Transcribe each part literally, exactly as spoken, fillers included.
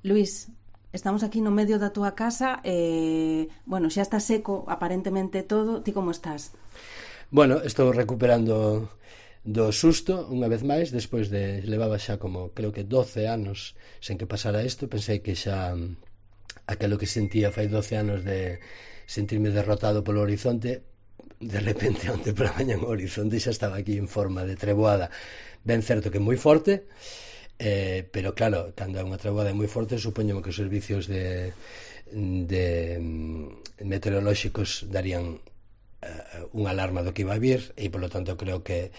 Luís, estamos aquí no medio da túa casa, eh, bueno, xa está seco aparentemente todo, ti como estás? Bueno, estou recuperando do susto unha vez máis, despois de levaba xa como creo que doce anos sen que pasara isto. Pensei que xa aquelo que sentía fai doce anos de sentirme derrotado polo horizonte, de repente onte pola mañá o horizonte xa estaba aquí en forma de treboada, ben certo que moi forte. Eh, pero claro, cando é unha treboada moi forte, supoño que os servicios de, de meteorolóxicos darían uh, unha alarma do que iba a vir, e polo tanto creo que,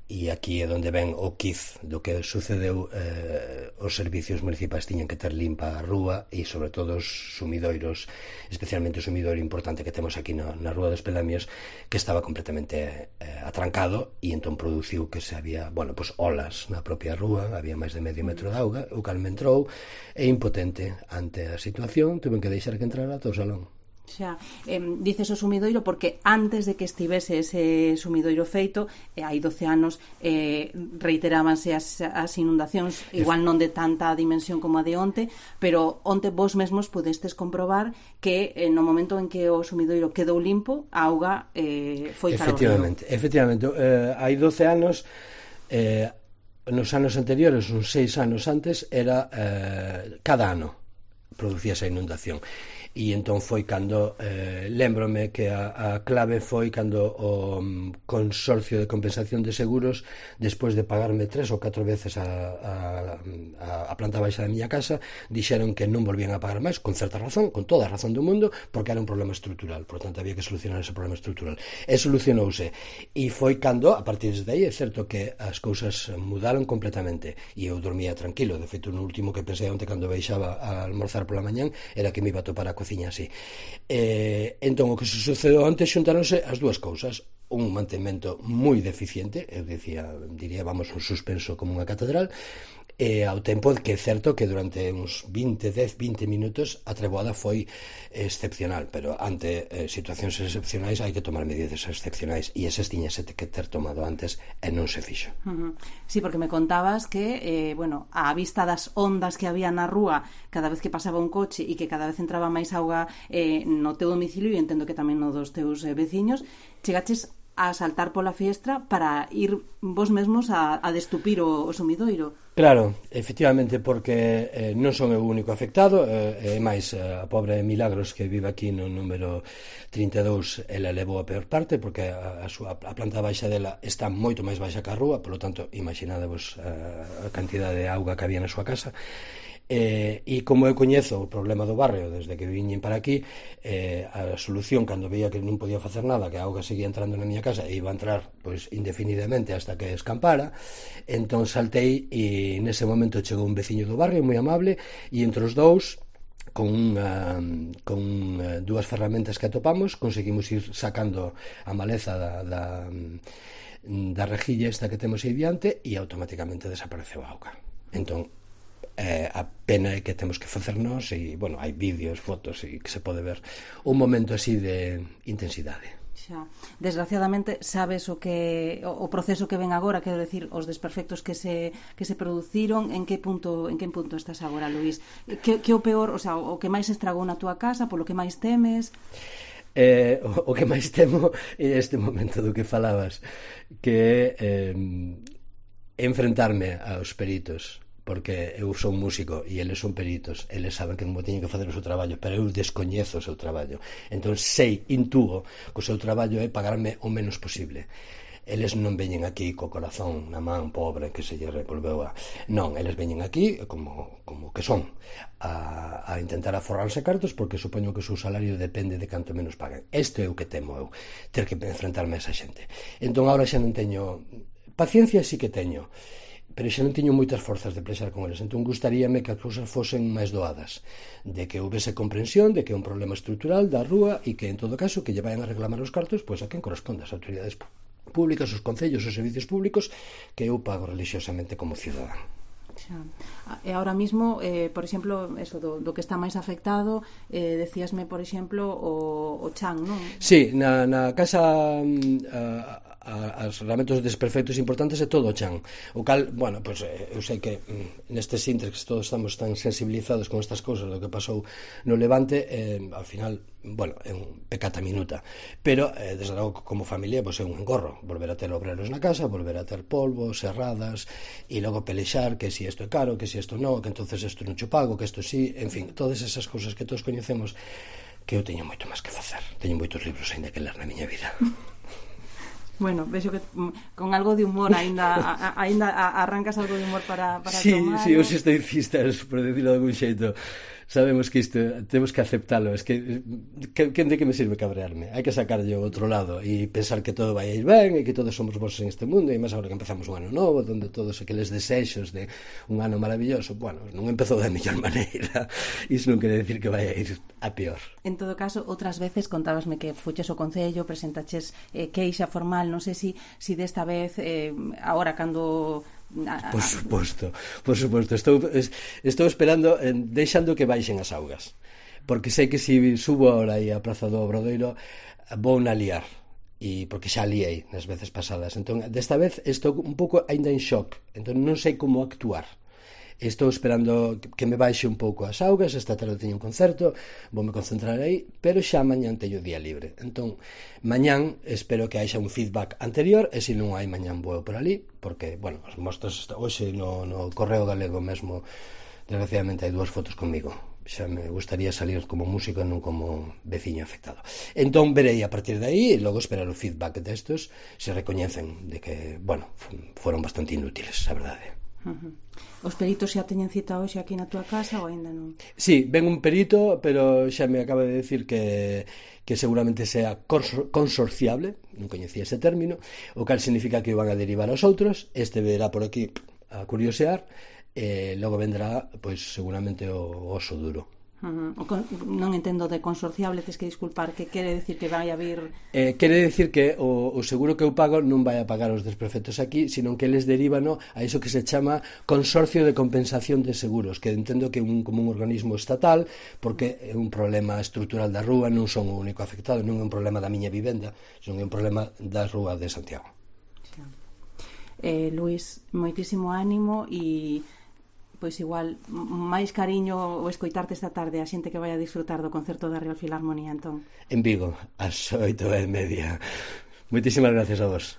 e aquí é onde ven o quiz do que sucedeu, eh, os servicios municipais tiñan que ter limpa a rúa, e sobre todo os sumidoiros, especialmente o sumidoiro importante que temos aquí na, na Rúa dos Pelamios, que estaba completamente eh, atrancado, e entón produciu que se había, bueno, pues olas na propia rúa, había máis de medio metro de auga, o cal me entrou, e impotente ante a situación, tuve que deixar que entrara todo o salón. Xa, eh, dices o sumidoiro porque antes de que estivese ese sumidoiro feito, eh, hai doce anos, eh, reiterábanse as, as inundacións, igual non de tanta dimensión como a de onte, pero onte vos mesmos pudestes comprobar que eh, no momento en que o sumidoiro quedou limpo, a auga eh, foi cara ao río. Efectivamente, efectivamente, eh, hai doce anos, eh, nos anos anteriores, uns seis anos antes, era eh, cada ano producía esa inundación. E entón foi cando, eh, lembrome que a, a clave foi cando o um, Consorcio de Compensación de Seguros, despois de pagarme tres ou catro veces a, a, a, a planta baixa da miña casa, dixeron que non volvían a pagar máis, con certa razón, con toda a razón do mundo, porque era un problema estrutural, por tanto había que solucionar ese problema estrutural. E solucionouse, e foi cando, a partir de aí, é certo que as cousas mudaron completamente, e eu dormía tranquilo. De feito, no último que pensei onte cando baixaba a almorzar pola mañán era que me iba a topar a cociña así. Eh, entón, o que se sucedeu antes, xuntaronse as dúas cousas: un mantemento moi deficiente, eu dicía, diría, vamos, un suspenso como unha catedral, e ao tempo que é certo que durante uns vinte, dez, vinte minutos a treboada foi excepcional, pero ante eh, situacións excepcionais hai que tomar medidas excepcionais, e esas tiñase que ter tomado antes e non se fixo. Uh-huh. Sí, porque me contabas que, eh, bueno, a vista das ondas que había na rúa cada vez que pasaba un coche e que cada vez entraba máis auga eh, no teu domicilio, e entendo que tamén no dos teus eh, veciños, chegaches a saltar pola fiestra para ir vos mesmos a, a destupir o, o sumidoiro. Claro, efectivamente, porque eh, non son o único afectado, eh, e máis a pobre Milagros, que vive aquí no número trinta e dous, ela levou a peor parte, porque a, a, súa, a planta baixa dela está moito máis baixa que a rúa, polo tanto, imaginadevos a, a cantidade de auga que había na súa casa. Eh, e como eu coñezo o problema do barrio desde que viñen para aquí, eh, a solución, cando veía que non podía facer nada, que a auga seguía entrando na miña casa e iba a entrar pois indefinidamente hasta que escampara, entón saltei, e nese momento chegou un veciño do barrio moi amable, e entre os dous, con, unha, con uh, dúas ferramentas que atopamos, conseguimos ir sacando a maleza da, da, da rejilla esta que temos aí diante, e automáticamente desapareceu a auga. Entón, Eh, a pena é que temos que facernos, e, bueno, hai vídeos, fotos, e que se pode ver un momento así de intensidade. Xa. Desgraciadamente sabes o que o, o proceso que ven agora, quero decir, os desperfectos que se que se produciron, en que punto en que punto estás agora, Luís? Que que o peor, o sea, o que máis estragou na túa casa, polo que máis temes? Eh, o, o que máis temo é este momento do que falabas, que é eh, enfrentarme aos peritos, porque eu son músico e eles son peritos, eles saben que como teñen que facer o seu traballo, pero eu descoñezo o seu traballo, entón sei, intúo que o seu traballo é pagarme o menos posible. Eles non veñen aquí co corazón na man pobre que se lle revolveu a... Non, eles veñen aquí como, como que son a, a intentar aforrarse cartos, porque supoño que o seu salario depende de canto menos paguen. Isto é o que temo eu, ter que enfrentarme a esa xente. Entón agora xa non teño... Paciencia sí que teño, pero xa non teño moitas forzas de plexar con eles. Entón gustaríame que as cousas fosen máis doadas, de que houvese comprensión de que é un problema estrutural da rúa, e que en todo caso que lle vayan a reclamar os cartos pois a quen corresponde, as autoridades públicas, os concellos, os servicios públicos que eu pago religiosamente como cidadán. Xa. E ahora mismo, eh, por exemplo, eso do, do que está máis afectado, eh, decíasme, por exemplo, o, o chan, non? Sí, na, na casa... Uh, a, as lamentos desperfectos importantes é todo o chan. O cal, bueno, pois pues, eu sei que mm, nestes intres todos estamos tan sensibilizados con estas cousas do que pasou no Levante, eh, ao final, bueno, é un pecata minuta, pero eh, desde logo como familia pois pues, é un engorro volver a ter obreros na casa, volver a ter polvo, serradas, e logo pelexar que si isto é caro, que si isto non, que entonces isto non cho pago, que isto sí, en fin, todas esas cousas que todos coñecemos, que eu teño moito máis que facer. Teño moitos libros aínda que ler na miña vida. Bueno, vexo que con algo de humor aínda aínda arrancas algo de humor para, para sí, tomar. Sí, os estoicistas, por decirlo de algún xeito, sabemos que isto temos que aceptalo. Es que, que, que de que me sirve cabrearme? Hai que sacarlle o outro lado e pensar que todo vai a ir ben e que todos somos vos en este mundo, e máis agora que empezamos un ano novo onde todos aqueles desexos de un ano maravilloso, bueno, non empezou da mellor maneira. Iso non quere decir que vai a ir a peor. En todo caso, outras veces contábasme que fuches o Concello, presentaches eh, queixa formal, non sei se si, si desta vez eh, agora cando Por suposto, por suposto. Estou, estou esperando, eh, deixando que baixen as augas. Porque sei que se si subo ahora aí a Praza do Obradoiro vou na liar. E porque xa liei nas veces pasadas. Entón, desta vez estou un pouco aínda en shock. Entón non sei como actuar. Estou esperando que me baixe un pouco as augas. Esta tarde teño un concerto, voume concentrar aí, pero xa mañán teño día libre. Entón, mañán espero que haixa un feedback anterior, e se non hai mañán vou por ali, porque, bueno, as mostras hoxe no, no Correo Galego mesmo, desgraciadamente hai dúas fotos comigo. Xa me gustaría salir como músico e non como veciño afectado. Entón verei a partir de aí e logo esperar o feedback destos, se recoñecen de que, bueno, foron bastante inútiles, a verdade. Uh-huh. Os peritos xa teñen cita hoxe aquí na túa casa ou aínda non? Sí, ven un perito, pero xa me acaba de decir que, que seguramente sea consorciable, non coñecía ese término, o cal significa que o van a derivar aos outros. Este verá por aquí a curiosear, e logo vendrá, pois, seguramente o oso duro. Uh-huh. Con, non entendo de consorciable, tes que disculpar, que quere decir que vai a vir... Eh, quere decir que o, o seguro que eu pago non vai a pagar os desperfectos aquí, sino que eles derivan a iso que se chama Consorcio de Compensación de Seguros, que entendo que é un, como un organismo estatal, porque é un problema estrutural da rúa, non son o único afectado, non é un problema da miña vivenda, son un problema da rúa de Santiago. Eh, Luís, moitísimo ánimo e... pois igual, máis cariño o escoitarte esta tarde a xente que vai a disfrutar do concerto da Real Filarmonía, entón. En Vigo, ás oito e media. Moitísimas gracias a vos.